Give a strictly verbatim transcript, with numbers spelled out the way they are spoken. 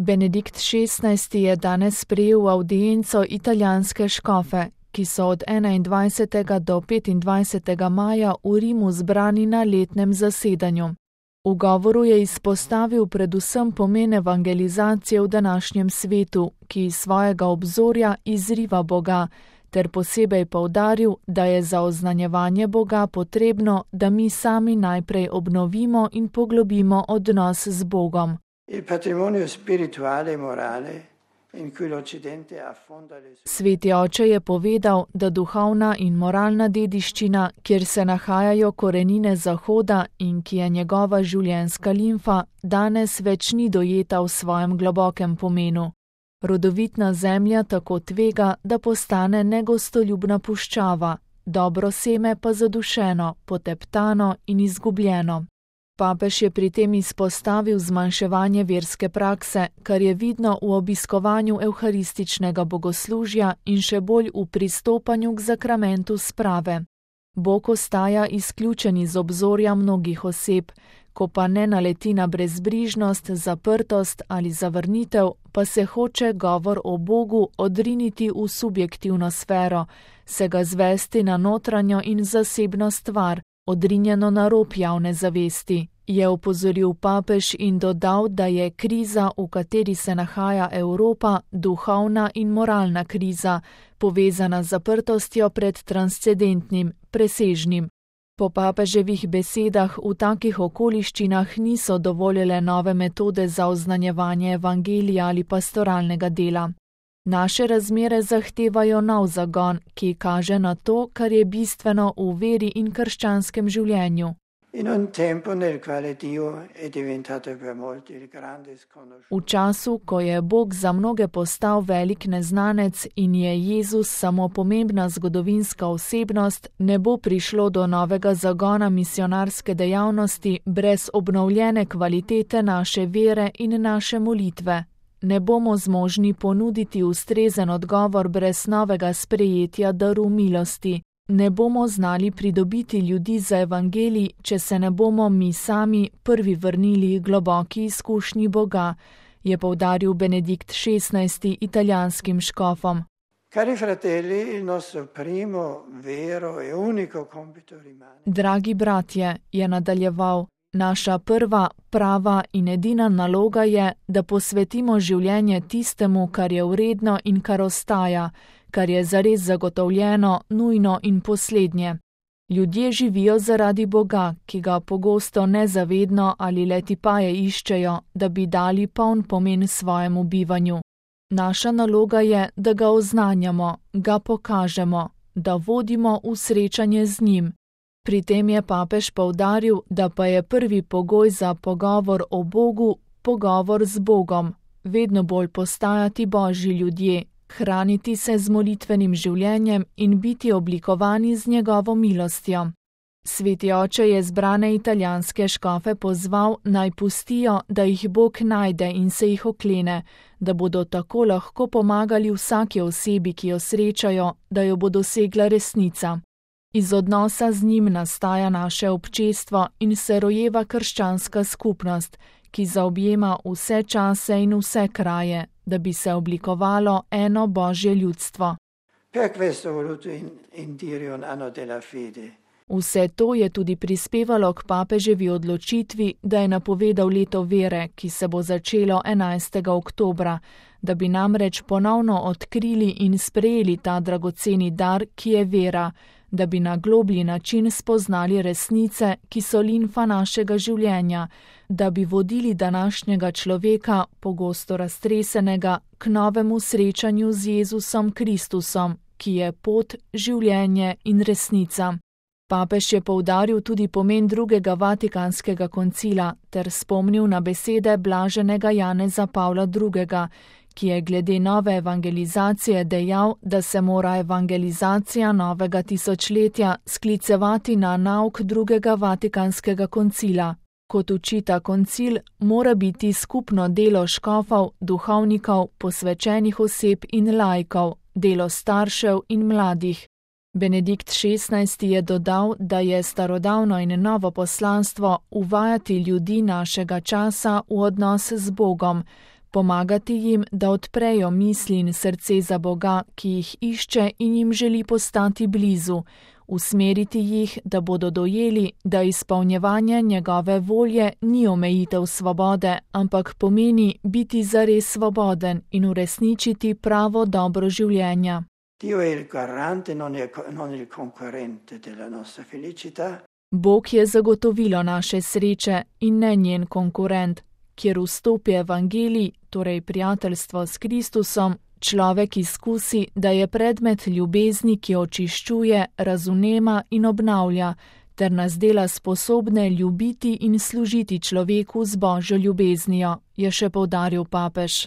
Benedikt šestnajsti je danes sprejel v avdienco italijanske škofe, ki so od enaindvajsetega do petindvajsetega maja v Rimu zbrani na letnem zasedanju. V govoru je izpostavil predvsem pomen evangelizacije v današnjem svetu, ki iz svojega obzorja izriva Boga, ter posebej poudaril, da je za oznanjevanje Boga potrebno, da mi sami najprej obnovimo in poglobimo odnos z Bogom. Sveti oče je povedal, da duhovna in moralna dediščina, kjer se nahajajo korenine Zahoda in ki je njegova življenjska limfa, danes več ni dojeta v svojem globokem pomenu. Rodovitna zemlja tako tvega, da postane negostoljubna puščava, dobro seme pa zadušeno, poteptano in izgubljeno. Papež je pri tem izpostavil zmanjševanje verske prakse, kar je vidno v obiskovanju evharističnega bogoslužja in še bolj v pristopanju k zakramentu sprave. Bog ostaja izključen iz obzorja mnogih oseb, ko pa ne naleti na brezbrižnost, zaprtost ali zavrnitev, pa se hoče govor o Bogu odriniti v subjektivno sfero, se ga zvesti na notranjo in zasebno stvar, odrinjeno na rob javne zavesti, je opozoril papež in dodal, da je kriza, v kateri se nahaja Evropa, duhovna in moralna kriza, povezana z zaprtostjo pred transcendentnim, presežnim. Po papeževih besedah v takih okoliščinah niso dovoljele nove metode za oznanjevanje evangelija ali pastoralnega dela. Naše razmere zahtevajo nov zagon, ki kaže na to, kar je bistveno v veri in krščanskem življenju. V času, ko je Bog za mnoge postal velik neznanec in je Jezus samo pomembna zgodovinska osebnost, ne bo prišlo do novega zagona misionarske dejavnosti brez obnovljene kvalitete naše vere in naše molitve. Ne bomo zmožni ponuditi ustrezen odgovor brez novega sprejetja daru milosti. Ne bomo znali pridobiti ljudi za evangelij, če se ne bomo mi sami prvi vrnili globoki izkušnji Boga, je poudaril Benedikt šestnajsti italijanskim škofom. Dragi bratje, je nadaljeval, naša prva, prava in edina naloga je, da posvetimo življenje tistemu, kar je vredno in kar ostaja, kar je zares zagotovljeno, nujno in poslednje. Ljudje živijo zaradi Boga, ki ga pogosto nezavedno ali le tipaje iščejo, da bi dali poln pomen svojemu bivanju. Naša naloga je, da ga oznanjamo, ga pokažemo, da vodimo v srečanje z njim. Pri tem je papež poudaril, da pa je prvi pogoj za pogovor o Bogu pogovor z Bogom, vedno bolj postajati Božji ljudje, hraniti se z molitvenim življenjem in biti oblikovani z njegovo milostjo. Sveti oče je zbrane italijanske škofe pozval, naj pustijo, da jih Bog najde in se jih oklene, da bodo tako lahko pomagali vsaki osebi, ki jo srečajo, da jo bo dosegla resnica. Iz odnosa z njim nastaja naše občestvo in se rojeva krščanska skupnost, ki zaobjema vse čase in vse kraje, da bi se oblikovalo eno Božje ljudstvo. Vse to je tudi prispevalo k papeževi odločitvi, da je napovedal leto vere, ki se bo začelo enajstega oktobra, da bi namreč ponovno odkrili in sprejeli ta dragoceni dar, ki je vera, da bi na globlji način spoznali resnice, ki so limfa našega življenja, da bi vodili današnjega človeka, pogosto raztresenega, k novemu srečanju z Jezusom Kristusom, ki je pot, življenje in resnica. Papež je poudaril tudi pomen drugega vatikanskega koncila ter spomnil na besede blaženega Janeza Pavla drugega, ki je glede nove evangelizacije dejal, da se mora evangelizacija novega tisočletja sklicevati na nauk drugega vatikanskega koncila. Kot učita koncil, mora biti skupno delo škofov, duhovnikov, posvečenih oseb in laikov, delo staršev in mladih. Benedikt šestnajsti je dodal, da je starodavno in novo poslanstvo uvajati ljudi našega časa v odnos z Bogom, pomagati jim, da odprejo misli in srce za Boga, ki jih išče in jim želi postati blizu, usmeriti jih, da bodo dojeli, da izpolnjevanje njegove volje ni omejitev svobode, ampak pomeni biti zares svoboden in uresničiti pravo dobro življenja. Dio è il garante, non è, non il concorrente della nostra felicità. Bog je zagotovilo naše sreče in ne njen konkurent, kjer vstopi evangelij, torej prijateljstvo s Kristusom, človek izkusi, da je predmet ljubezni, ki očiščuje, razumema in obnavlja, ter nas dela sposobne ljubiti in služiti človeku z Božjo ljubeznijo, je še poudaril papež.